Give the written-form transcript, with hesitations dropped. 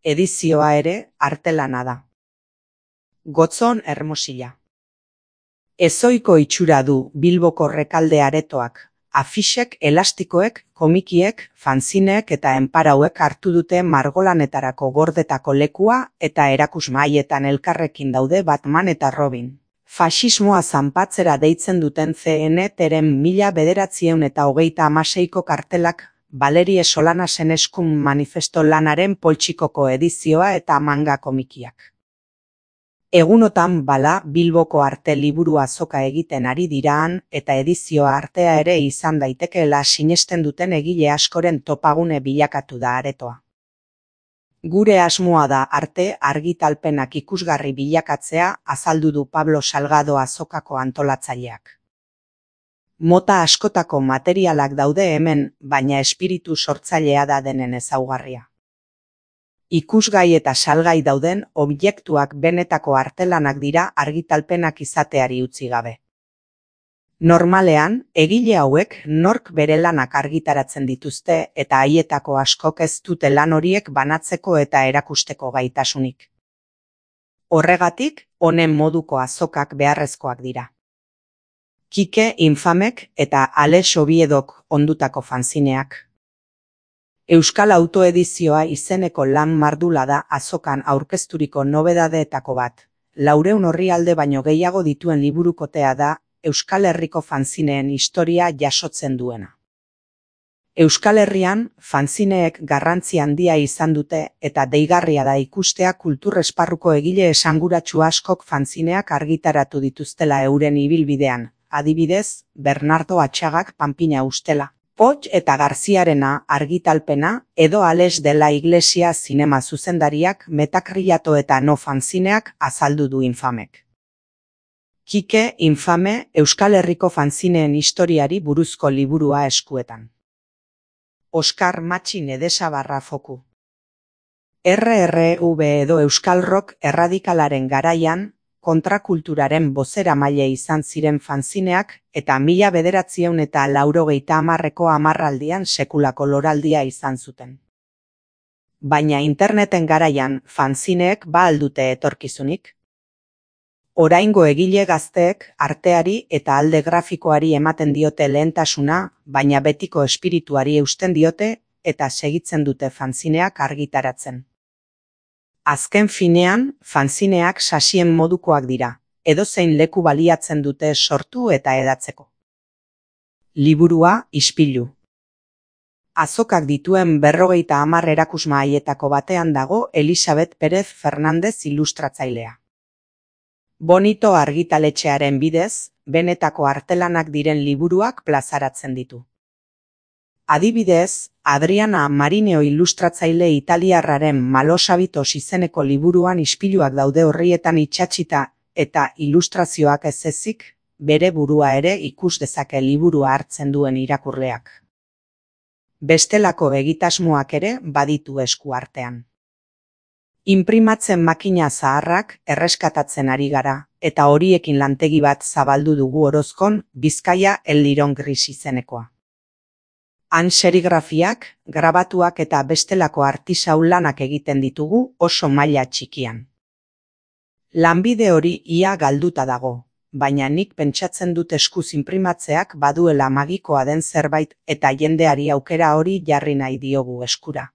Edizioa ere artelana da. Gotzon Hermosilla. Ezohiko itxura du Bilboko Rekalde aretoak. Afixek, elastikoek, komikiek, fanzineek eta enparauek hartu dute margolanetarako gordetako lekua eta erakusmaietan elkarrekin daude Batman eta Robin. Faxismoa zanpatzera deitzen duten CNT-ren 1926ko kartelak Valerie Solanasen eskun manifesto lanaren poltsikoko edizioa eta manga komikiak. Egunotan bala Bilboko arte liburu azoka egiten ari diraan eta edizioa artea ere izan daitekeela sinesten duten egile askoren topagune bilakatu da aretoa. Gure asmoa da arte argitalpenak ikusgarri bilakatzea, azaldu du Pablo Salgado azokako antolatzaileak. Mota askotako materialak daude hemen, baina espiritu sortzailea da denen ezaugarria. Ikusgai eta salgai dauden objektuak benetako artelanak dira argitalpenak izateari utzi gabe. Normalean, egile hauek nork bere lanak argitaratzen dituzte eta haietako askok ez dute lan horiek banatzeko eta erakusteko gaitasunik. Horregatik, honen moduko azokak beharrezkoak dira. Kike Infamek eta Alex Oviedok ondutako fanzineak. Euskal Autoedizioa izeneko lan mardula da azokan aurkezturiko nobedadeetako bat. 400 orrialde baino gehiago dituen liburukotea da Euskal Herriko fanzineen historia jasotzen duena. Euskal Herrian fanzineek garrantzi handia izan dute eta deigarria da ikustea kultur esparruko egile esanguratsu askok fanzineak argitaratu dituztela euren ibilbidean, adibidez, Bernardo Atxagak Panpina ustela. Poch eta Garziarena argitalpena edo Alex de la Iglesia zinema zuzendariak Metacrillato eta No fanzineak azaldu du Infamek. Kike Infame Euskal Herriko fanzineen historiari buruzko liburua eskuetan. Oskar Matxin Edesabarra Foku. RRV edo Euskal Rock erradikalaren garaian, kontrakulturaren bozeramaile izan ziren fanzineak eta 1980ko hamarraldian sekulako loraldia izan zuten. Baina interneten garaian fanzineek ba al dute etorkizunik? Oraingo egile gazteek arteari eta alde grafikoari ematen diote lehentasuna, baina betiko espirituari eusten diote eta segitzen dute fanzineak argitaratzen. Azken finean, fanzineak sasien modukoak dira, edozein leku baliatzen dute sortu eta edatzeko. Liburua ispilu. Azokak dituen 50 erakusmahaietako batean dago Elisabet Pérez Fernández ilustratzailea. Bonito argitaletxearen bidez, benetako artelanak diren liburuak plazaratzen ditu. Adibidez, Adriana Marineo ilustratzaile italiarraren Malosabitos izeneko liburuan ispiluak daude horrietan itsatsita eta ilustrazioak ez ezik, bere burua ere ikus dezake liburua hartzen duen irakurleak. Bestelako egitasmoak ere baditu esku artean. Inprimatzen makina zaharrak erreskatatzen ari gara, eta horiekin lantegi bat zabaldu dugu Orozkon, Bizkaia El Lirón Gris izenekoa. Han serigrafiak, grabatuak eta bestelako artisau lanak egiten ditugu oso maila txikian. Lanbide hori ia galduta dago, baina nik pentsatzen dut eskuz inprimatzeak baduela magikoa den zerbait eta jendeari aukera hori jarri nahi diogu eskura.